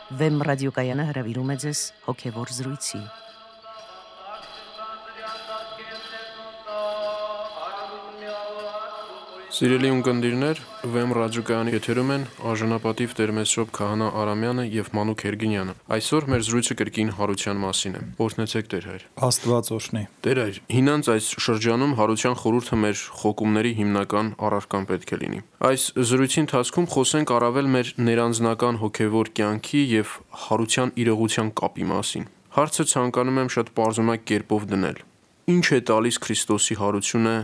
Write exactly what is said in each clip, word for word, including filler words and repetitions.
Վեմ ռադիոկայանը հրավիրում է ձեզ հոգևոր զրույցի։ Սիրելի ունկնդիրներ, Վեմ ռադիոկայանի եթերում են արժանապատիվ Տեր-Մեսրոպ Քահանա Արամյանը եւ Մանուկ Հերգինյանը։ Այսօր մեր զրույցը կրկին հարության մասին է։ Օրհնեցեք Տեր հայր։ Աստված օրհնի։ Տեր հայր, հինանց այս շրջանում հարության խորհուրդը մեր խոկումների հիմնական առարկան պետք է լինի։ Այս զրույցի ընթացքում խոսենք առավել մեր ներանձնական հոգևոր կյանքի եւ հարության իրողության կապի մասին։ Հարցը ցանկանում եմ շատ պարզունակ կերպով դնել։ Ինչ է տալիս Քրիստոսի հարությունը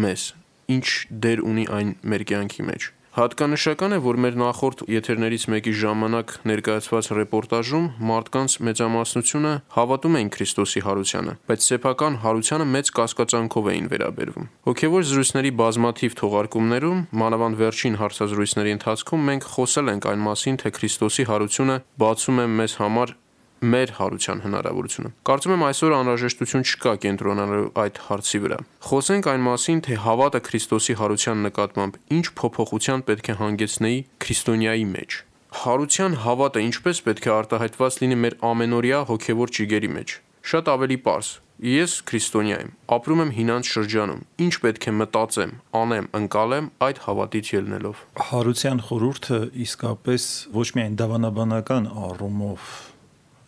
մեզ։ Ինչ դեր ունի այն մեր կյանքի մեջ։ Հատկանշական է, որ մեր նախորդ եթերներից մեկի ժամանակ ներկայացված ռեպորտաժում մարդկանց մեծամասնությունը հավատում էին Քրիստոսի հարությանը, բայց սեփական հարությանը մեծ կասկածանքով էին վերաբերվում։ Հոգևոր զրույցների բազմաթիվ թողարկումներում, մանավանդ վերջին հարցազրույցների ընթացքում մենք խոսել ենք այն մասին, թե Քրիստոսի հարությունը բացում է մեզ համար մեր հարության հնարավորությունը։ Կարծում եմ այսօր անհրաժեշտություն չկա կենտրոնանալու այդ հարցի վրա։ Խոսենք այն մասին, թե հավատը Քրիստոսի հարության նկատմամբ ինչ փոփոխության պետք է հանգեցնեի քրիստոնյայի մեջ։ Հարության հավատը ինչպես պետք է արտահայտված լինի մեր ամենօրյա հոգևոր ճիգերի մեջ։ Շատ ավելի պարզ։ Ես քրիստոնյա եմ, ապրում եմ հինանց շրջանում։ Ինչ պետք է մտածեմ, անեմ, ընկալեմ այդ հավատից ելնելով։ Հարության խորհուրդը իսկապես ոչ միայն դավանաբանական առումով,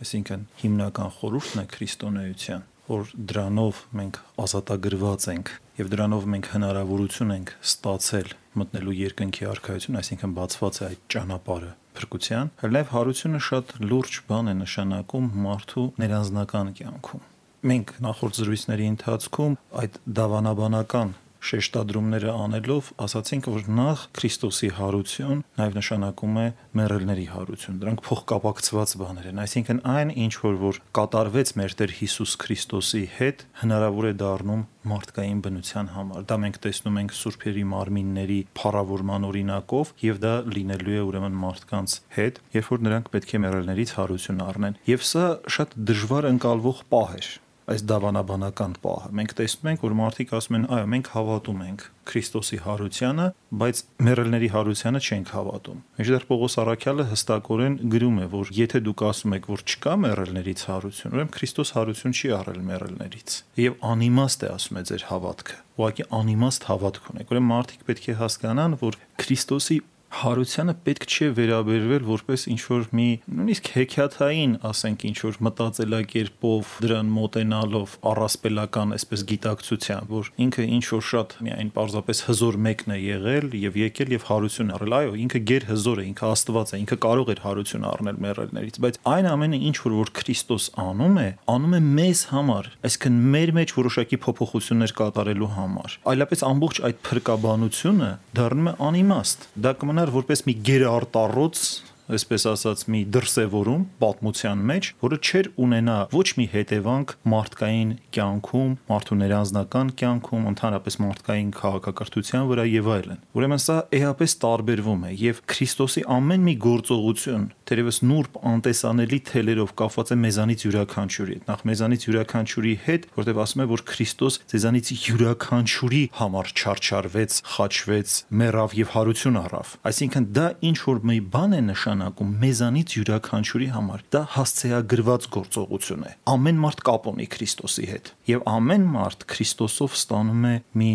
այսինքն հիմնական խորհուրդն է քրիստոնեության, որ դրանով մենք ազատագրված ենք եւ դրանով մենք հնարավորություն ենք ստացել մտնելու երկնքի արքայություն, այսինքն բացված է այդ ճանապարհը փրկության, հəլև հարությունը շատ լուրջ բան է նշանակում մարդու ներանձնական կյանքում։ Մենք նախորդ զրույցների ընթացքում այդ դավանաբանական շեշտադրումները անելով ասացինք, որ նախ Քրիստոսի հարություն նաև նշանակում է մեռելների հարություն։ Դրանք փոխկապակցված բաներ են, այսինքն այն ինչ որ որ կատարվեց մեր Տեր Հիսուս Քրիստոսի հետ, հնարավոր է դառնում մարդկային բնության համար։ Դա մենք տեսնում ենք սուրբերի մարմինների փառավորման օրինակով, եւ դա լինելու է ուրեմն մարդկանց հետ, երբ որ նրանք պետք է մեռելներից հարություն առնեն։ Եվ սա շատ դժվար ընկալվող պահ է։ Այս դավանաբանական պահը։ Մենք տեսնում ենք, որ մարդիկ ասում են, այո, մենք հավատում ենք Քրիստոսի հարությանը, բայց մեռելների հարությանը չենք հավատում։ Մինչդեռ Պողոս առաքյալը հստակորեն գրում է, որ եթե դուք ասում եք, որ չկա մեռելներից հարություն, ուրեմն Քրիստոս հարություն չի առել մեռելներից։ Եվ անիմաստ է, ասում է, ձեր հավատքը։ Ուղղակի անիմաստ հավատք ունեք։ Ուրեմն մարդիկ պետք է հասկանան, որ Քրիստոսի հարությանը պետք չէ վերաբերվել որպես ինչ-որ մի նույնիսկ հեքիաթային, ասենք, ինչ-որ մտածելակերպով դրան մոտենալով առասպելական այսպես գիտակցությամբ, որ ինքը ինչ-որ շատ միայն պարզապես հզոր մեկն է եղել եւ եկել եւ հարություն առել։ Այո, ինքը գեր հզոր է, ինքը Աստված է, ինքը կարող էր հարություն առնել մեռելներից, բայց այն ամենը ինչ-որ որ Քրիստոս անում է, անում է մեզ համար, այսինքն մեր մեջ որոշակի փոփոխություններ կատարելու համար։ Այլապես ամբողջ այդ փրկաբանությունը դառնում է անիմաստ։ Դա կմնար որպես մի գերարտառոց, այսպես ասած, մի դրսևորում պատմության մեջ, որը չէր ունենա ոչ մի հետևանք մարդկային կյանքում, մարդու ներանձնական կյանքում, ընդհանրապես մարդկային քաղաքակրթության վրա եւ այլն։ Ուրեմն սա էապես տարբերվում է եւ Քրիստոսի ամեն մի գործողություն, թերևս նուրբ անտեսանելի թելերով կապված է մեզանից յուրաքանչյուրի հետ։ Նախ մեզանից յուրաքանչյուրի հետ, որտեղ ասում է, որ Քրիստոս ձեզանից յուրաքանչյուրի համար չարչարվեց, խաչվեց, մեռավ եւ հարություն առավ։ Այսինքն դա ինչ որ մի բան է նշան մեզանից յուրաքանչյուրի համար դա հասցեագրված գործողություն է։ Ամեն մարդ կապ ունի Քրիստոսի հետ եւ ամեն մարդ Քրիստոսով ստանում է մի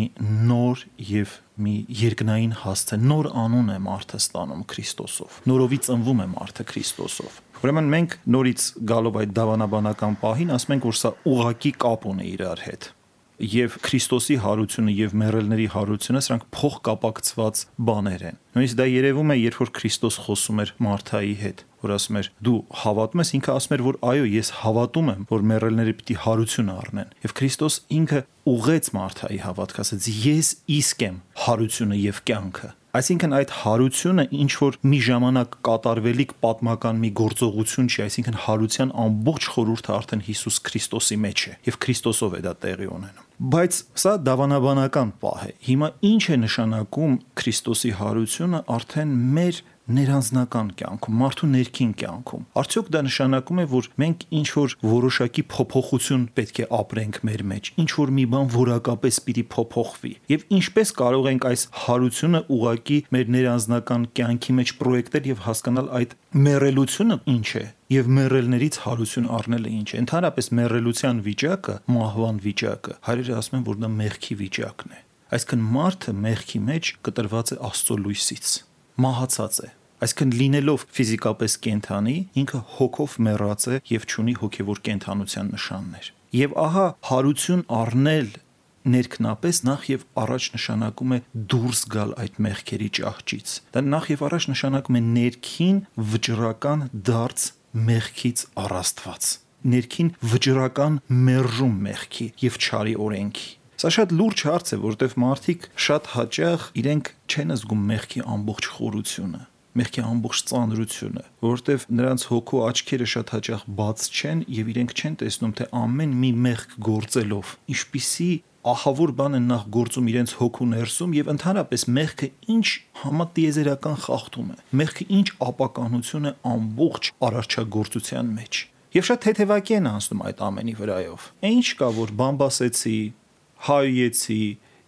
նոր եւ մի երկնային հասցե, նոր անուն է մարդը ստանում Քրիստոսով։ Նորովի ծնվում է մարդը Քրիստոսով։ Ուրեմն մենք նորից գալով այդ դավանաբանական պահին ասում ենք, որ սա ուղղակի կապ ունի իրար հետ։ Եվ Քրիստոսի հարությունը եւ մեռելների հարությունը սրանք փոխկապակցված բաներ են։ Նույնիսկ դա երևում է, երբ որ Քրիստոս խոսում էր Մարթայի հետ, որ ասում էր. «Դու հավատում ես», ինքը ասում էր, որ այո, ես հավատում եմ, որ մեռելները պիտի հարություն առնեն։ Եվ Քրիստոս ինքը ուղղեց Մարթայի հավատքը, ասաց. «Ես իսկ եմ հարությունը եւ կյանքը»։ Այսինքն այդ հարությունը ինչ որ մի ժամանակ կատարվելիք պատմական մի գործողություն չի, այսինքն հարության ամբողջ խորհուրդը արդեն Հիսուս Քրիստոսի մեջ է եւ Քրիստոսով է դա տեղի ունենում։ Բայց սա դավանաբանական պահ է։ Հիմա ինչ է նշանակում Քրիստոսի հարությունը արդեն մեր ներանձնական կյանքում, մարդու ներքին կյանքում։ Արդյոք դա նշանակում է, որ մենք ինչ որ որոշակի փոփոխություն պետք է ապրենք մեր մեջ, ինչ որ մի բան որակապես պիտի փոփոխվի։ Եվ ինչպես կարող ենք այս հարությունը ուղղակի մեր ներանձնական կյանքի մեջ պրոյեկտել եւ հասկանալ այդ մեռելությունը ինչ է եւ մեռելներից հարություն առնելը ինչ է։ Ընդհանրապես մեռելության վիճակը, մահվան վիճակը, հայրերը ասում են, որ դա մեղքի վիճակն է։ Այսինքն մարդը մեղքի մեջ կտրված է Աստծո լույսից, մահացած է։ Այսինքն լինելով ֆիզիկապես կենդանի, ինքը հոգով մեռած է եւ չունի հոգեվոր կենդանության նշաններ։ Եվ ահա հարություն առնել ներքնապես նախ եւ առաջ նշանակում է դուրս գալ այդ մեղքերի ճահճից։ Դա նախ եւ առաջ նշանակում է ներքին վճռական դարձ մեղքից առաստված, ներքին վճռական մերժում մեղքի եւ չարի օրենքի։ Սա շատ լուրջ հարց է, որտեղ մարդիկ շատ հաճախ իրենք չեն զգում մեղքի ամբողջ խորությունը, մեղքի ամբողջ ծանրությունը, որտեղ նրանց հոգու աչքերը շատ հաճախ բաց չեն եւ իրենք չեն տեսնում, թե ամեն մի մեղք գործելով ինչպիսի ահավոր բան են նախ գործում իրենց հոգու ներսում եւ ընդհանրապես մեղքը ինչ համատիեզերական խախտում է, մեղքը ինչ ապականություն է ամբողջ արարչագործության մեջ։ Եվ շատ թեթևակի են անցնում այդ ամենի վրայով։ Ինչ կա, որ բամբասեցի, հայեցի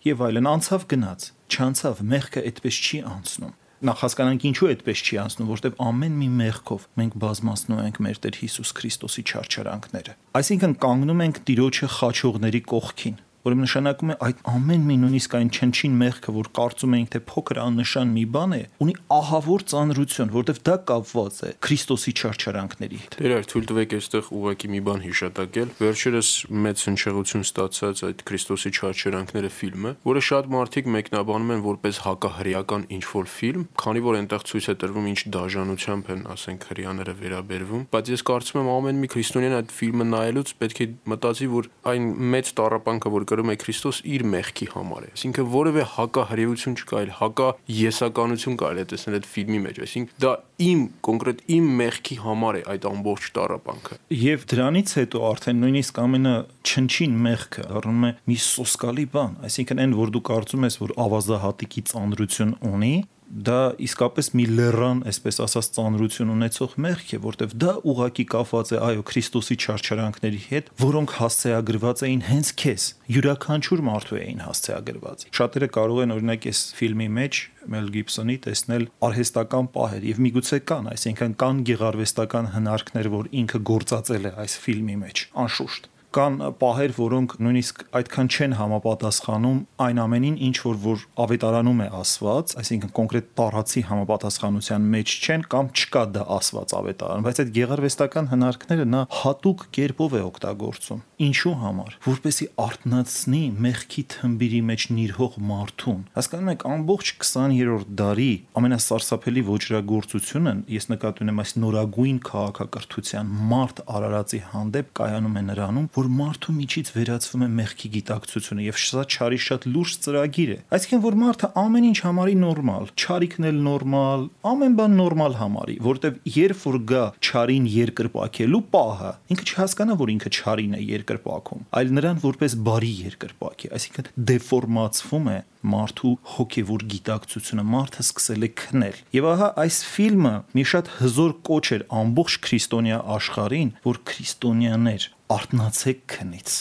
եւ այլն, անցավ գնաց, չանցավ, մեղքը այդպես չի անցնում։ Նախ հասկանանք ինչու այդպես չի անցնում, որտեղ ամեն մի մեղքով մենք բազմացնում ենք մեր Տեր Հիսուս Քրիստոսի չարչարանքները։ Այսինքն կանգնում ենք Տիրոջը խաչողների կողքին, որը նշանակում է այդ ամեն մի նույնիսկ այն չնչին մեղքը, որ կարծում ենք թե փոքր աննշան մի բան է, ունի ահավոր ծանրություն, որտեղ դա կապված է Քրիստոսի չարչարանքների հետ։ Տեր, թույլ տվեք այստեղ ուղղակի մի բան հիշատակել։ Վերջերս մեծ հնչեղություն ստացած այդ Քրիստոսի չարչարանքները ֆիլմը, որը շատ մարդիկ մեկնաբանում են որպես հակահրեական ինչ-որ ֆիլմ, քանի որ այնտեղ ցույց է տրվում ինչ դաժանությամբ են, ասենք, հրեաները վերաբերվում, բայց ես կարծում եմ ամեն մի քրիստոնյան այդ ֆիլմը նայելուց պետք է մտածի, որ այն մեծ տառապանքը, որ կրում է Քրիստոս իր մեղքի համար է։ Այսինքն որևէ հակահրեություն չկա, այլ հակաեսականություն կարելի է տեսնել այդ ֆիլմի մեջ։ Այսինքն դա իմ կոնկրետ իմ մեղքի համար է այդ ամբողջ տառապանքը։ Եվ դրանից հետո արդեն նույնիսկ ամենը չնչին մեղքը դառնում է մի սոսկալի բան, այսինքն այն, որ դու կարծում ես, որ ավազահատիկի ծանրություն ունի, դա իսկապես մի լեռան, այսպես ասած, ծանրություն ունեցող մեղք է, որտեղ դա ուղղակի կապված է այո Քրիստոսի չարչարանքների հետ, որոնք հասցեագրված էին հենց քեզ, յուրաքանչյուր մարդու էին հասցեագրված։ Շատերը կարող են օրինակ այս ֆիլմի մեջ Մել Գիբսոնի տեսնել արհեստական պահեր եւ միգուցե կան, այսինքն կան գեղարվեստական հնարքներ, որ ինքը գործածել է այս ֆիլմի մեջ, անշուշտ։ Կան պահեր, որոնք նույնիսկ այդքան չեն համապատասխանում այն ամենին, ինչ որ որ ավետարանում է ասված, այսինքն կոնկրետ տարածի համապատասխանության մեջ չեն կամ չկա դա ասված ավետարանում, բայց այդ գեղարվեստական հնարքները նա հատուկ կերպով է օգտագործում։ Ինչու համար, որպեսզի արթնացնի մեղքի թմբիրի մեջ նիրհող մարդուն։ Հասկանում եք, ամբողջ քսաներորդ դարի ամենասարսափելի ոճրագործությունը, ես նկատի ունեմ այս նորագույն քաղաքակրթության մարդ արարածի հանդեպ կայանում է նրանում, որ մարդու միջից վերածվում է մեղքի գիտակցությունը եւ սա չարի շատ լուրջ ծրագիր է։ Այսինքն որ մարդը ամեն ինչ համարի նորմալ, չարիքն էլ նորմալ, ամեն բան նորմալ համարի, որտեվ երբ որ գա չարին երկրպակելու պահը, ինքը չհասկանա, որ ինքը չարին է երկրպակում, այլ նրան որպես բարի երկրպակի, այսինքն դեֆորմացվում է մարդու հոգևոր գիտակցությունը, մարդը սկսել է քնել։ Եվ ահա այս ֆիլմը մի շատ հզոր կոչ էր ամբողջ քրիստոնյա աշխարհին, որ քրիստոնյաներ արթնացեք քնից,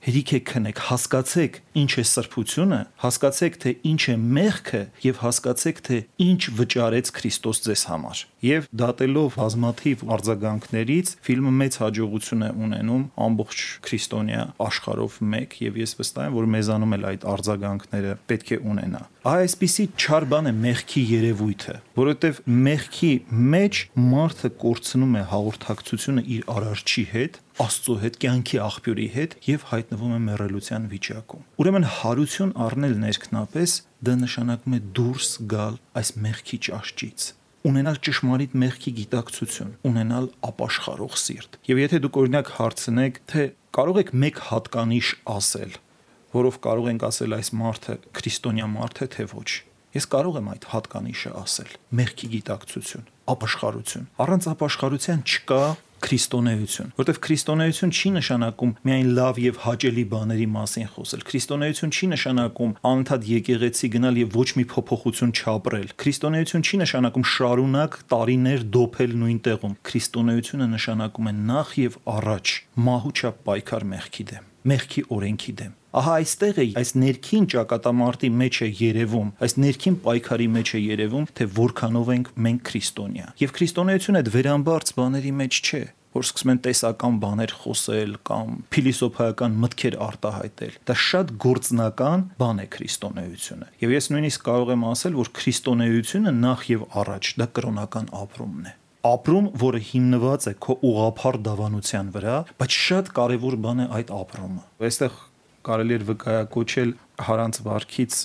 հերիք է քնեք, հասկացեք ինչ է սրբությունը, հասկացեք թե ինչ է մեղքը եւ հասկացեք թե ինչ վճարեց Քրիստոս ձեզ համար։ Եվ դատելով բազմաթիվ արձագանքներից ֆիլմը մեծ հաջողություն է ունենում ամբողջ քրիստոնյա աշխարհով մեկ եւ ես վստահ եմ, որ մեզանում էլ այդ արձագանքները պետք է ունենա։ Այսպիսի չար բան է մեղքի երևույթը, որովհետեւ մեղքի մեջ մարդը կորցնում է հաղորդակցությունը իր արարչի հետ, Աստծո հետ, կյանքի աղբյուրի հետ եւ հայտնվում է մեռելության վիճակում։ Ուրեմն հարություն առնել ներքնապես դա նշանակում է դուրս գալ այս մեղքի ճաշճից, ունենալ ճշմարիտ մեղքի գիտակցություն, ունենալ ապաշխարող սիրտ։ Եվ եթե դուք օրինակ հարցնեք, թե կարող եք մեկ հատկանիշ ասել, որով կարող ենք ասել այս մարդը քրիստոնյա մարդ է, թե ոչ, ես կարող եմ այդ հատկանիշը ասել՝ մեղքի գիտակցություն, ապաշխարություն։ Առանց ապաշխարության չկա քրիստոնեություն, որտեղ քրիստոնեություն չի նշանակում միայն լավ եւ հաճելի բաների մասին խոսել։ Քրիստոնեություն չի նշանակում անընդհատ եկեղեցի գնալ եւ ոչ մի փոփոխություն չապրել։ Քրիստոնեություն չի նշանակում շարունակ տարիներ դոփել նույն տեղում։ Քրիստոնեությունը նշանակում է նախ եւ առաջ մահուչապ պայքար մեղքի դեմ, մեղքի օրենքի դեմ։ Ահա այստեղ է այս ներքին ճակատամարտի մեջ է երևում, այս ներքին պայքարի մեջ է երևում, թե որքանով ենք մենք քրիստոնյա։ Եվ քրիստոնեությունը այդ վերամբարձ բաների մեջ չէ, որ սկսում են տեսական բաներ խոսել կամ փիլիսոփայական մտքեր արտահայտել։ Դա շատ գործնական բան է քրիստոնեությունը։ Եվ ես նույնիսկ կարող եմ ասել, որ քրիստոնեությունը նախ եւ առաջ դա կրոնական ապրումն է։ Ապրում, որը հիմնված է քո ուղղափառ դավանության վրա, բայց շատ կարևոր բան է այդ ապրումը։ Այստեղ կարելի էր վկայակոչել Հարանց վարքից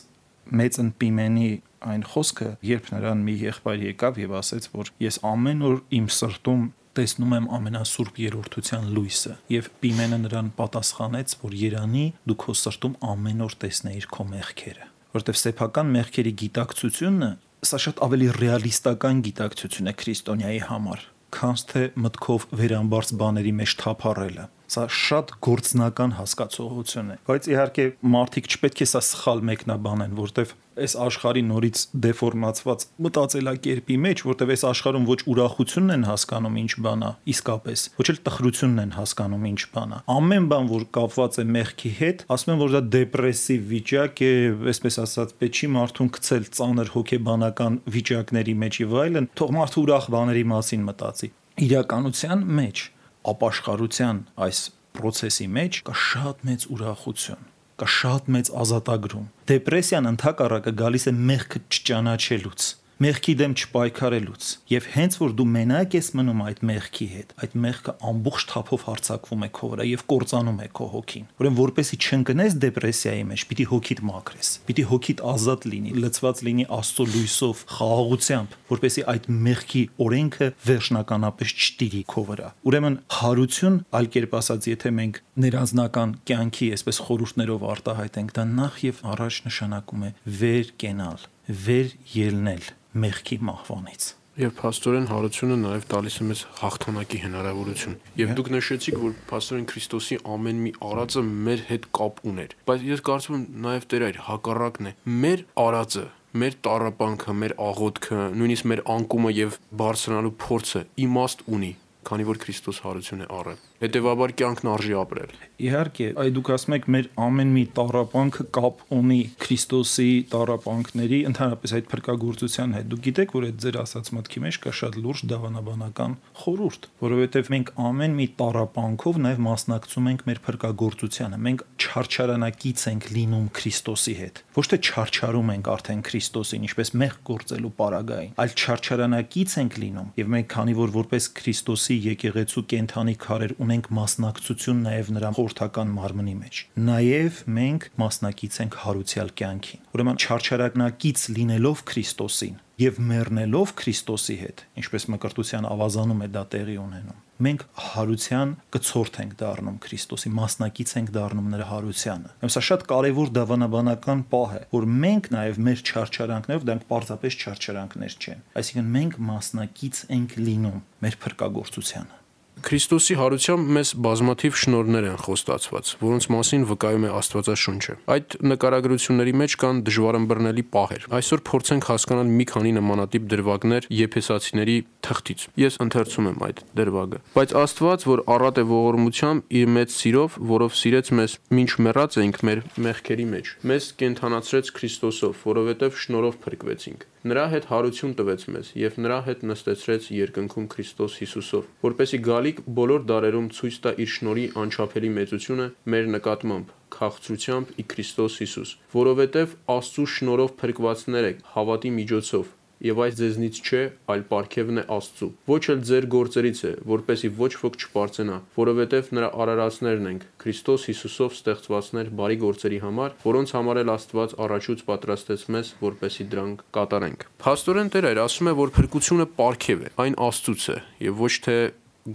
մեծն Պիմենի այն խոսքը, երբ նրան մի եղբայր եկավ եւ ասեց, որ ես ամեն օր իմ սրտում տեսնում եմ ամենասուրբ երրորդության լույսը, եւ Պիմենը նրան պատասխանեց, որ երանի դու քո սրտում ամեն օր տեսնեիր քո մեղքերը, որովհետեւ սեփական մեղքերի գիտակցությունը սա շատ ավելի ռեալիստական գիտակցություն է քրիստոնյայի համար, քան թե մտքով վերամբարձ բաների մեջ թափառելը։ Սա շատ գործնական հասկացողություն է, բայց իհարկե մարդիկ չպետք է սա սխալ մեկնաբանեն, որտեվ այս աշխարհի նորից դեֆորմացված մտածելակերպի մեջ, որտեվ այս աշխարհում ոչ ուրախությունն են հասկանում ինչ բան է, իսկապես, ոչ էլ տխրությունն են հասկանում ինչ բան է։ Ամեն բան, որ կապված է մեղքի հետ, ասում են, որ դա դեպրեսիվ վիճակ է, այսպես ասած, պետք չի մարդուն գցել ծանր հոգեբանական վիճակների մեջ եւ այլն, թող մարդը ուրախ բաների մասին մտածի։ Իրականության մեջ ապաշխարության այս process-ի մեջ կա շատ մեծ ուրախություն, կա շատ մեծ ազատագրում։ Դեպրեսիան ընդհակառակը գալիս է մեղքը չճանաչելուց, մեղքի դեմ չպայքարելուց, եւ հենց որ դու մենակ ես մնում այդ մեղքի հետ, այդ մեղքը ամբողջ թափով հարձակվում է քո վրա եւ կործանում է քո հոգին։ Ուրեմն որպեսի չընկնես դեպրեսիայի մեջ, պիտի հոգիդ մաքրես, պիտի հոգիդ ազատ լինի, լցված լինի Աստծո լույսով, խաղաղությամբ, որպեսի այդ մեղքի օրենքը վերջնականապես չտիրի քո վրա։ Ուրեմն հարություն, այլ կերպ ասած, եթե մենք ներանձնական կյանքի այսպես խորհուրդներով արտահայտենք, դա նախ եւ առաջ նշանակում է վեր կենալ, վեր ելնել մեղքի մահվանից։ Եվ փաստորեն հարությունը նաև տալիս է մեզ հաղթանակի հնարավորություն։ Եվ դուք նշեցիք, որ փաստորեն Քրիստոսի ամեն մի արածը մեր հետ կապ ուներ։ Բայց ես կարծում եմ նաև Տեր այր հակառակն է։ Մեր արածը, մեր տառապանքը, մեր աղոթքը, նույնիսկ մեր անկումը եւ բարձրանալու փորձը իմաստ ունի, քանի որ Քրիստոս հարություն է առել։ Հետևաբար կյանքն արժի ապրել։ Իհարկե, այ դուք ասում եք մեր ամեն մի տառապանքը կապ ունի Քրիստոսի տառապանքների, ընդհանրապես այդ փրկagorցության հետ։ Դուք գիտեք, որ այդ ձեր ասած մտքի մեջ կա շատ լուրջ դավանաբանական խորհուրդ, որովհետև մենք ամեն մի տառապանքով նաև մասնակցում ենք մեր փրկagorցությանը։ Մենք չարչարանակից ենք լինում Քրիստոսի հետ։ Ոչ թե չարչարում ենք արդեն Քրիստոսին, ինչպես մեղք գործելու պարագային, այլ չարչարանակից ենք լինում։ Եվ մենք քանի որ որպես Քրիստոսի եկեղեցու կենթանի քարեր ունենք մասնակցություն նաև նրա խորհրդական մարմնի մեջ։ Նաև մենք մասնակից ենք հարուցյալ կյանքին։ Ուրեմն չարչարակնակից լինելով Քրիստոսին եւ մեռնելով Քրիստոսի հետ, ինչպես Մկրտության ավազանում է դա տեղի ունենում, մենք հարության կցորդ ենք դառնում Քրիստոսի, մասնակից ենք դառնում նրա հարությանը։ Սա շատ կարևոր դավանաբանական պահ է, որ մենք նաև մեր չարչարանքներով, դրանք պարզապես չարչարանքներ չեն, այսինքն մենք մասնակից ենք լինում մեր փրկagorցությանը։ Քրիստոսի հարությամբ մեզ բազմաթիվ շնորհներ են խոստացված, որոնց մասին վկայում է Աստվածաշունչը։ Այդ նկարագրությունների մեջ կան դժվարըմբռնելի պահեր։ Այսօր փորձենք հասկանալ մի քանի նմանատիպ դրվագներ Եփեսացիների թղթից։ Ես ընթերցում եմ այդ դրվագը։ Բայց Աստված, որ առատ է ողորմությամբ իր մեծ սիրով, որով սիրեց մեզ, մինչ մեռած էինք մեր մեղքերի մեջ, մեզ կենդանացրեց Քրիստոսով, որովհետև շնորհով փրկվեցինք։ Նրա հետ հարություն տվեց մեզ եւ նրա հետ նստեցրեց երկնքում Քրիստոս Հիսուսով, որպեսզի գալիք բոլոր դարերում ցույց տա իր շնորհի անչափելի մեծությունը մեր նկատմամբ, քաղցրությամբ ի Քրիստոս Հիսուս, որովհետև Աստծու շնորհով փրկվածներ եք հավատի միջոցով, եւ այս ձեզնից չէ, այլ պարգևն է Աստծու։ Ոչ էլ ձեր գործերից է, որպեսզի ոչ ոք չպարծենա, որովհետև նրա արարածներն ենք, Քրիստոս Հիսուսով ստեղծվածներ բարի գործերի համար, որոնց համար էլ Աստված առաջուց պատրաստեց մեզ, որպեսզի դրանք կատարենք։ Փաստորեն Տեր այր ասում է, որ փրկությունը պարգև է, այն Աստծուց է եւ ոչ թե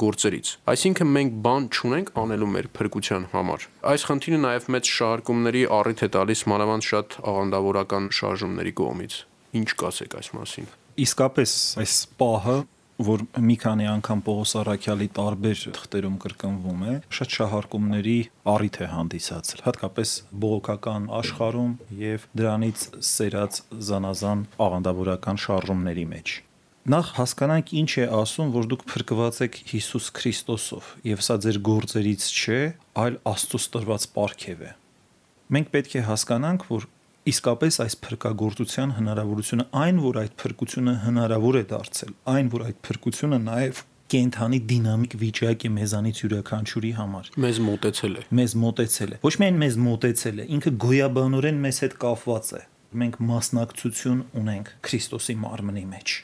գործերից։ Այսինքն մենք բան չունենք անելու մեր փրկության համար։ Այս խնդիրը նաև մեծ շահարկումների առիթ է տալիս մանավանդ շատ աղանդավորական շարժումների կողմից։ Ինչ կասեք այս մասին։ Իսկապես այս պահը որ մի քանի անգամ Պողոս առաքյալի տարբեր թղթերում կրկնվում է, շատ շահարկումների առիթ է հանդիսացել, հատկապես բողոքական աշխարհում եւ դրանից սերած զանազան աղանդավորական շարժումների մեջ։ Նախ հասկանանք ինչ է ասում, որ դուք փրկված եք Հիսուս Քրիստոսով, եւ սա ձեր գործերից չէ, այլ Աստծուց տրված պարգև է։ Մենք պետք է հասկանանք, որ իսկապես այս փրկagorցության հնարավորությունը, այն որ այդ փրկությունը հնարավոր է դարձել, այն որ այդ փրկությունը նաև կենթանի դինամիկ վիճակ է մեզանից յուրաքանչյուրի համար։ Մեզ մոտեցել է։ Մեզ մոտեցել է։ Ոչ միայն մեզ մոտեցել է, ինքը գոյաբանորեն մեզ հետ կապված է։ Մենք մասնակցություն ունենք Քրիստոսի մարմնի մեջ,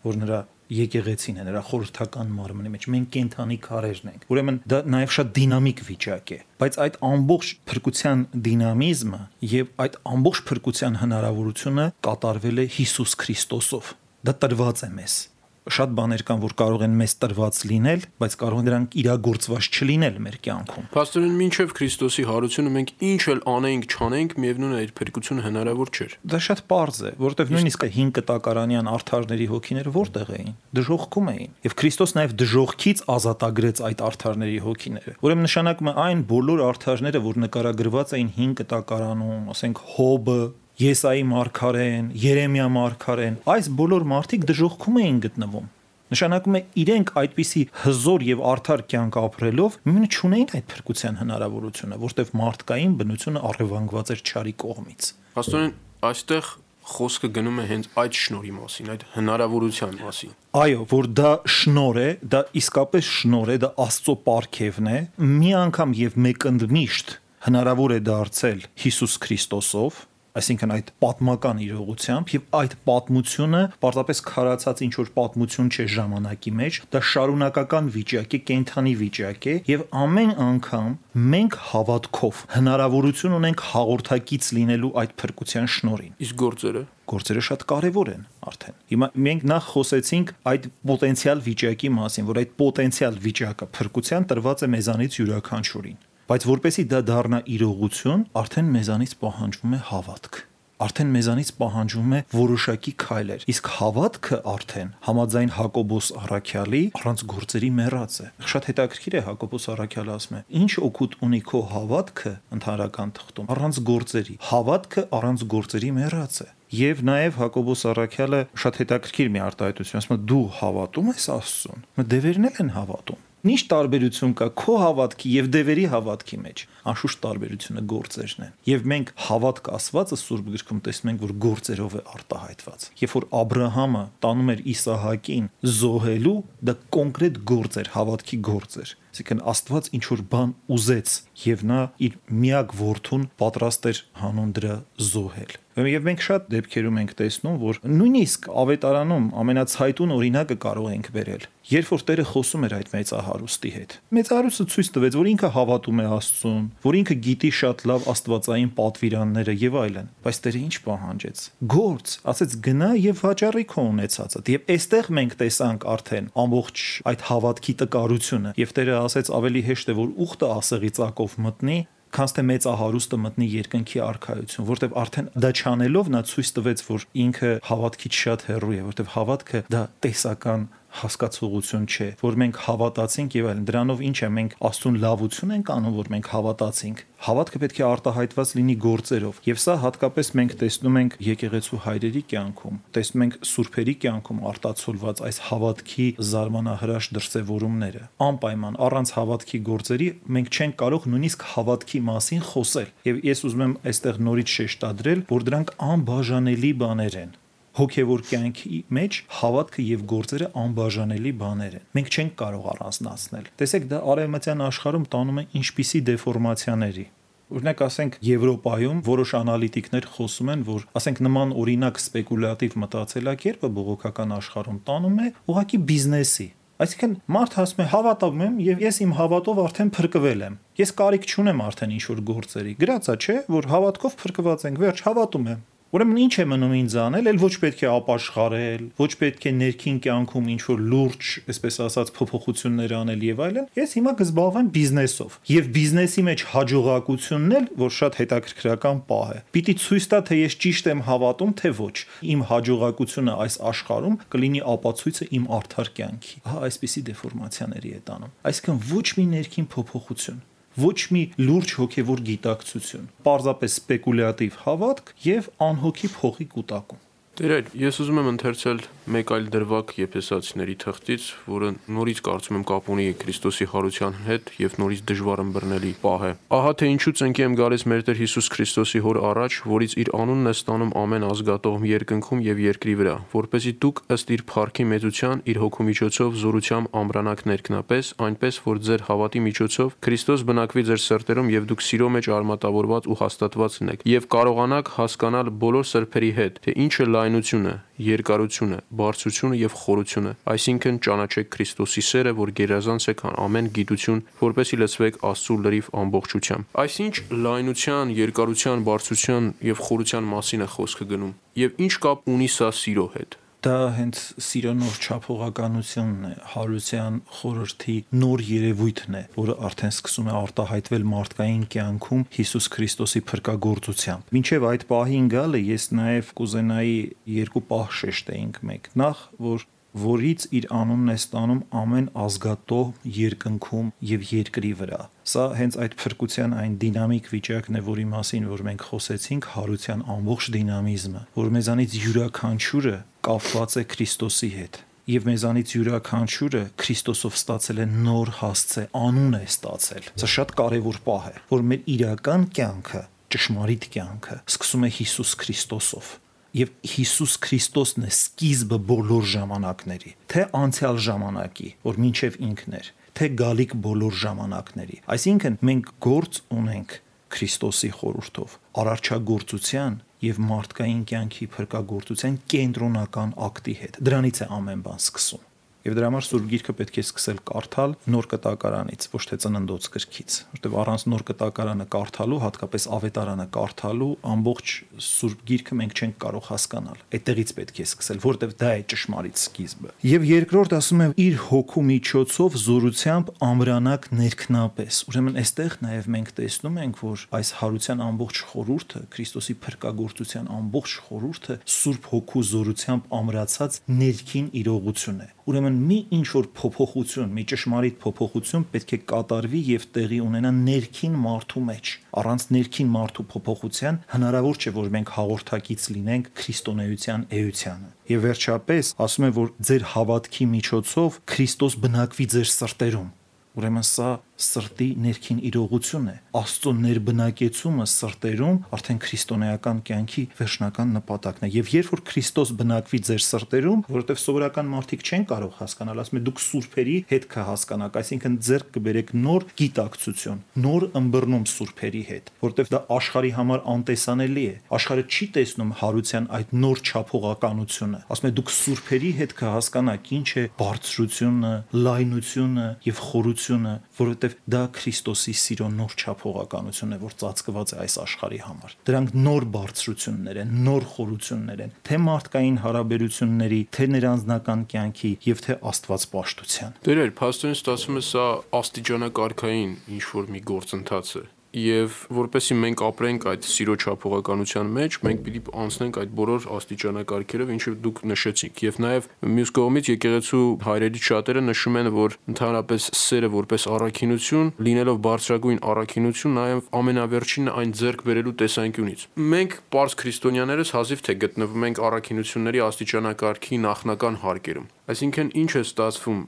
որ նրա եկեղեցին է, նրա խորհրդական մարմնի մեջ, մենք կենթանի քարերն ենք։ Ուրեմն դա նաև շատ դինամիկ վիճակ է, բայց այդ ամբողջ փրկության դինամիզմը եւ այդ ամբողջ փրկության հնարավորությունը կատարվել է Հիսուս Քրիստոսով։ Դա տրված է մեզ։ Շատ բաներ կան, որ կարող են մեզ տրված լինել, բայց կարող են դրանք իրագործված չլինել մեր կյանքում։ Պաստորեն, մինչև Քրիստոսի հարությունը մենք ինչ էլ անենք, չանենք, միևնույն է այդ փրկությունը հնարավոր չէր։ Դա շատ պարզ է, որովհետև նույնիսկ հին կտակարանյան արդարների հոգիները որտեղ էին, դժոխքում էին, եւ Քրիստոս նաեւ դժոխքից ազատագրեց այդ արդարների հոգիները։ Ուրեմն նշանակում է այն բոլոր արդարները, որ նկարագրված էին հին կտակարանում, ասենք Հոբը, Եսայի մարգարեն, Երեմիա մարգարեն, այս բոլոր մարդիկ դժոխքում էին գտնվում։ Նշանակում է իրենք այդպիսի հզոր եւ արդար կյանք ապրելով մինչ չունեին այդ փրկության հնարավորությունը, որտեղ մարդկային բնությունը առևանգված էր չարի կողմից։ Պաստորեն, այստեղ խոսքը գնում է հենց այդ շնորհի մասին, այդ հնարավորության մասին։ Այո, որ դա շնորհ է, դա իսկապես շնորհ է, դա Աստծո պարգևն է, մի անգամ եւ մեկընդմիշտ հնարավոր է դարձել Հիսուս Քրիստոսով, այսինքն այդ պատմական իրողությամբ, եւ այդ պատմությունը պարզապես քարացած ինչ որ պատմություն չէ ժամանակի մեջ, դա շարունակական վիճակ է, կենթանի վիճակ է, եւ ամեն անգամ մենք հավատքով հնարավորություն ունենք հաղորդակից լինելու այդ փրկության շնորհին։ Իսկ գործերը Գործերը շատ կարևոր են արդեն։ Հիմա մենք նախ խոսեցինք այդ պոտենցիալ վիճակի մասին, որ այդ պոտենցիալ վիճակը փրկության տրված է մեզանից յուրաքանչյուրին։ Բայց որպեսի դա դառնա իրողություն, արդեն մեզանից պահանջվում է հավատք։ Արդեն մեզանից պահանջվում է որոշակի քայլեր։ Իսկ հավատքը արդեն համաձայն Հակոբոս առաքյալի առանց գործերի մեռած է։ Շատ հետաքրքիր է Հակոբոս առաքյալը ասում է. «Ինչ օգուտ ունի քո հավատքը ընդհանրական թղթում առանց գործերի։ Հավատքը առանց գործերի մեռած է»։ Եվ նաև Հակոբոս առաքյալը շատ հետաքրքիր մի արտահայտություն ասում է. «Դու հավատում ես Աստծուն»։ Դևերն էլ են հավատում։ Ինչ տարբերություն կա քո հավատքի եւ դևերի հավատքի մեջ։ Անշուշտ տարբերությունը գործերն են։ Եվ մենք հավատք ասվածը Սուրբ գրքում տեսնում ենք, որ գործերով է արտահայտված։ Երբ որ Աբրահամը տանում էր Իսահակին զոհելու, դա կոնկրետ գործ էր, հավատքի գործ էր։ Այսինքն Աստված ինչ որ բան ուզեց եւ նա իր միակ որդուն պատրաստ էր հանուն դրա զոհել։ Եվ մենք շատ դեպքերում ենք տեսնում, որ նույնիսկ ավետարանում ամենացայտուն օրինակը կարող ենք բերել, երբ որ Տերը խոսում էր այդ մեծահարուստի հետ։ Մեծահարուստը ցույց տվեց, որ ինքը հավատում է Աստծուն, որ ինքը գիտի շատ լավ աստվածային պատվիրանները եւ այլն, բայց Տերը ինչ պահանջեց։ Գործ, ասեց գնա եւ վաճառի քո ունեցածը։ Եվ այստեղ մենք տեսանք արդեն ամբողջ այդ հավատքի տկարությունը, եւ Տերը ասեց ավելի հեշտ է, որ ուխտը ասեղի ծակով մտնի, քան թե մեծահարուստը մտնի երկնքի արքայություն, որտեվ արդեն դա չանելով նա ցույց տվեց, որ ինքը հավատքից շատ հեռու է, որտեվ հավատքը դա տեսական հասկացողություն չէ, որ մենք հավատացինք եւ այլն։ Դրանով ինչ է, մենք Աստծուն լավություն ենք անում, որ մենք հավատացինք։ Հավատքը պետք է արտահայտված լինի գործերով, եւ սա հատկապես մենք տեսնում ենք եկեղեցու հայրերի կյանքում, տեսնում ենք սուրբերի կյանքում արտացոլված այս հավատքի զարմանահրաշ դրսևորումները։ Անպայման առանց հավատքի գործերի մենք չենք կարող նույնիսկ հավատքի մասին խոսել։ Եվ ես ուզում եմ այստեղ նորից շեշտադրել, որ դրանք անբաժանելի բաներ են։ Հոգևոր կյանքի մեջ հավատքը եւ գործերը անբաժանելի բաներ են։ Մենք չենք կարող առանձնացնել։ Տեսեք, դա արևմտյան աշխարհում տանում է ինչպիսի դեֆորմացիաների։ Օրինակ, ասենք Եվրոպայում որոշ անալիտիկներ խոսում են, որ ասենք նման օրինակ սպեկուլյատիվ մտածելակերպը բողոքական աշխարհում տանում է ուղղակի բիզնեսի։ Այսինքն մարդ ասում է հավատում եմ եւ ես իմ հավատով արդեն փրկվել եմ։ Ես կարիք չունեմ արդեն ինչ որ գործերի։ Գրածա չէ, որ հավատքով փրկված ենք, վերջ հավատում եմ։ Ուրեմն ինչ է մնում ինձ անել, էլ ոչ պետք է ապաշխարել, ոչ պետք է ներքին կյանքում ինչ որ լուրջ, այսպես ասած, փոփոխություններ անել եւ այլն։ Ես հիմա կզբաղվեմ բիզնեսով։ Եվ բիզնեսի մեջ հաջողակությունն էլ, որ շատ հետաքրքրական պահ է, պիտի ցույց տա, թե ես ճիշտ եմ հավատում, թե ոչ։ Իմ հաջողակությունը այս աշխարհում կլինի ապացույցը իմ արդար կյանքի։ Ահա այսպիսի դեֆորմացիաների է տանում։ Այսինքն ոչ մի ներքին փոփոխություն, ոչ մի լուրջ հոգևոր գիտակցություն, պարզապես սպեկուլյատիվ հավատք եւ անհոգի փողի կուտակում։ Տերեր, ես ուզում եմ ընթերցել մեկ այլ դրվագ Եփեսացիների թղթից, որը նորից կարծում եմ կապ ունի Քրիստոսի հարության հետ եւ նորից դժվար ըմբռնելի պահ է։ Ահա թե ինչու ծնկի եմ գալիս մեր Տեր Հիսուս Քրիստոսի հոր առաջ, որից իր անունն է ստանում ամեն ազգատողմ երկնքում եւ երկրի վրա, որպեսզի դուք ըստ իր փառքի մեծության իր հոգու միջոցով զորությամբ ամրանաք ներքնապես, այնպես որ ձեր հավատի միջոցով Քրիստոս բնակվի ձեր սրտերում եւ դուք սիրո մեջ արմատավորված ու հաստատված լինեք եւ կարողանաք հասկանալ բոլոր սրբերի հետ, թե ինչ է լայնությունը, երկարությունը, բարձրությունը եւ խորությունը, այսինքն ճանաչեք Քրիստոսի սերը, որ գերազանց է քան ամեն գիտություն, որպեսզի լցվեք Աստծո լրիվ ամբողջությամբ։ Այսինչ լայնության, երկարության, բարձրության եւ խորության մասին է խոսքը գնում։ Եվ ինչ կապ ունի սա սիրո հետ։ Դա հենց սիրո նոր չափողականությունն է, հարության խորհրդի նոր երևույթն է, որը արդեն սկսում է արտահայտվել մարդկային կյանքում Հիսուս Քրիստոսի փրկagorցությամբ։ Մինչև այդ պահին գալը ես նաև կուզենայի երկու պահ շեշտեինք մեկ։ Նախ, որ որից իր անունն է ստանում ամեն ազգատող երկնքում եւ երկրի վրա։ Սա հենց այդ փրկության այն դինամիկ վիճակն է, որի մասին որ մենք խոսեցինք, հարության ամբողջ դինամիզմը, որ մեզանից յուրաքանչյուրը կապված է Քրիստոսի հետ։ Եվ մեզանից յուրաքանչյուրը Քրիստոսով ստացել է նոր հասցե, անուն է ստացել։ Սա շատ կարևոր պահ է, որ մեր իրական կյանքը, ճշմարիտ կյանքը սկսում է Հիսուս Քրիստոսով։ Եվ Հիսուս Քրիստոսն է սկիզբը բոլոր ժամանակների, թե անցյալ ժամանակի, որ մինչև ինքն էր, թե գալիք բոլոր ժամանակների։ Այսինքն մենք գործ ունենք Քրիստոսի խորհրդով, արարչագործության եւ մարդկային կյանքի փրկagorցության կենտրոնական ակտի հետ։ Դրանից է ամեն բան սկսում։ Եվ դրա համար Սուրբ Գիրքը պետք է սկսել կարդալ նոր կտակարանից, ոչ թե ծննդոց գրքից, որտեղ առանց նոր կտակարանը կարդալու, հատկապես ավետարանը կարդալու, ամբողջ Սուրբ Գիրքը մենք չենք կարող հասկանալ։ Այդտեղից պետք է սկսել, որտեղ դա է ճշմարիտ սկիզբը։ Եվ երկրորդ ասում է իր հոգու միջոցով զորությամբ ամրանակ ներքնապես։ Ուրեմն այստեղ նաև մենք տեսնում ենք, որ այս հարության ամբողջ խորհուրդը, Քրիստոսի փրկagorցության ամբողջ խորհուրդը Սուրբ Հոգու զորությամբ ամրացած ներքին իրողություն է։ Ուրեմն մի ինչ որ փոփոխություն, մի ճշմարիտ փոփոխություն պետք է կատարվի եւ տեղի ունենա ներքին մարդու մեջ։ Առանց ներքին մարդու փոփոխության հնարավոր չէ, որ մենք հաղորդակից լինենք քրիստոնեության էությանը։ Եվ վերջապես ասում է, որ ձեր հավատքի միջոցով Քրիստոս բնակվի ձեր սրտերում։ Ուրեմն սա սրտի ներքին իրողություն է։ Աստծո ներբնակեցումը սրտերում արդեն քրիստոնեական կյանքի վերջնական նպատակն է։ Եվ երբ որ Քրիստոս բնակվի ձեր սրտերում, որովհետև սովորական մարդիկ չեն կարող հասկանալ, ասում է դուք սուրբերի հետ կհասկանաք, այսինքն ձեռք կբերեք նոր գիտակցություն, նոր ըմբռնում սուրբերի հետ, որովհետև դա աշխարհի համար անտեսանելի է։ Աշխարհը չի տեսնում հարության այդ նոր չափողականությունը։ Ասում է դուք սուրբերի հետ կհասկանաք ինչ է բարձրությունը, լայնությունը եւ խորությունը, որովհետև դա Քրիստոսի սիրո նոր չափողականությունն է, որ ծածկված է այս աշխարհի համար։ Դրանք նոր բարձրություններ են, նոր խորություններ են, թե մարդկային հարաբերությունների, թե ներանձնական կյանքի եւ թե աստվածպաշտության։ Տերեր, փաստորեն ստացվում է սա աստիճանակարգային ինչ որ մի գործընթաց է։ Եվ որպեսզի մենք ապրենք այդ սիրո չափողականության մեջ, մենք պիտի անցնենք այդ բոլոր աստիճանակարգերով, ինչը դուք նշեցիք։ Եվ նաև մյուս կողմից եկեղեցու հայրերից շատերը նշում են, որ ընդհանրապես սերը որպես առաքինություն, լինելով բարձրագույն առաքինություն, նաև ամենավերջինն այն ձեռք բերելու տեսանկյունից։ Մենք պարզ քրիստոնյաներս հազիվ թե գտնվում ենք առաքինությունների աստիճանակարգի նախնական հարկերում։ Այսինքն ինչ է ստացվում,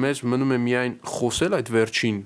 մեզ մնում է միայն խոսել այդ վերջին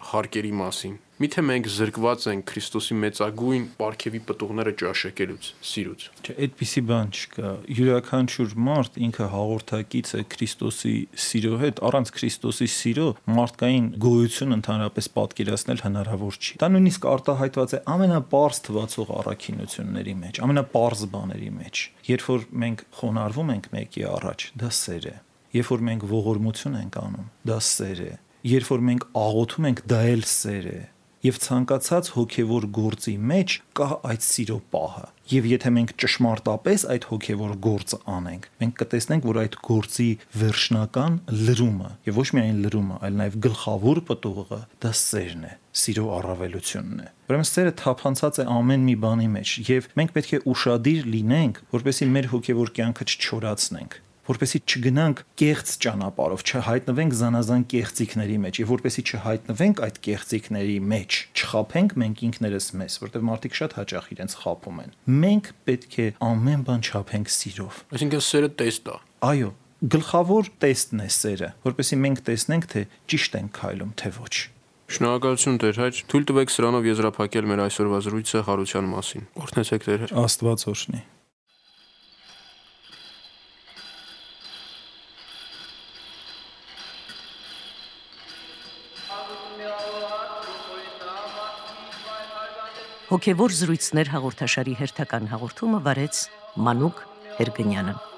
հարկերի մասին։ Միթե մենք զրկված ենք Քրիստոսի մեծագույն պարգևի պտուղները ճաշակելուց, սիրուց։ Չէ, այդպիսի բան չկա։ Յուրաքանչյուր մարդ ինքը հաղորդակից է Քրիստոսի սիրո հետ, առանց Քրիստոսի սիրո մարդկային գոյություն ընդհանրապես պատկերացնել հնարավոր չի։ Դա նույնիսկ արտահայտված է ամենապարզ թվացող առաքինությունների մեջ, ամենապարզ բաների մեջ։ Երբ որ մենք խոնարհվում ենք մեկի առաջ, դա սեր է։ Երբ որ մենք ողորմություն ենք անում, դա սեր է։ Երբ որ մենք աղոթում ենք, դա էլ սեր է։ Եվ ցանկացած հոգևոր գործի մեջ կա այդ սիրո պահը։ Եվ եթե մենք ճշմարտապես այդ հոգևոր գործը անենք, մենք կտեսնենք, որ այդ գործի վերջնական լրումը, եւ ոչ միայն լրումը, այլ նաեւ գլխավոր պտուղը դա սերն է, սիրո առավելությունն է։ Ուրեմն սերը թափանցած է ամեն մի բանի մեջ, եւ մենք պետք է ուշադիր լինենք, որպեսզի մեր հոգևոր կյանքը չչորացնենք, որպեսզի չգնանք կեղծ ճանապարհով, չհայտնվենք զանազան կեղծիքների մեջ, եւ որպեսզի չհայտնվենք այդ կեղծիքների մեջ, չխաբենք մենք ինքներս մեզ, որտեղ մարդիկ շատ հաճախ իրենց խաբում են։ Մենք պետք է ամեն բան չափենք սիրով։ Այսինքն սերը տեստ է։ Այո, գլխավոր տեստն է սերը, որպեսզի մենք տեսնենք, թե ճիշտ ենք քայլում, թե ոչ։ Շնորհակալություն Տեր հայր, թույլ տվեք սրանով եզրափակել մեր այսօրվա զրույցը հարության մասին։ Օրհնեցեք Տեր հայր։ Աստված օրհնի։ Հոգևոր զրույցներ հաղորդաշարի հերթական հաղորդումը վարեց Մանուկ Հերգնյանը։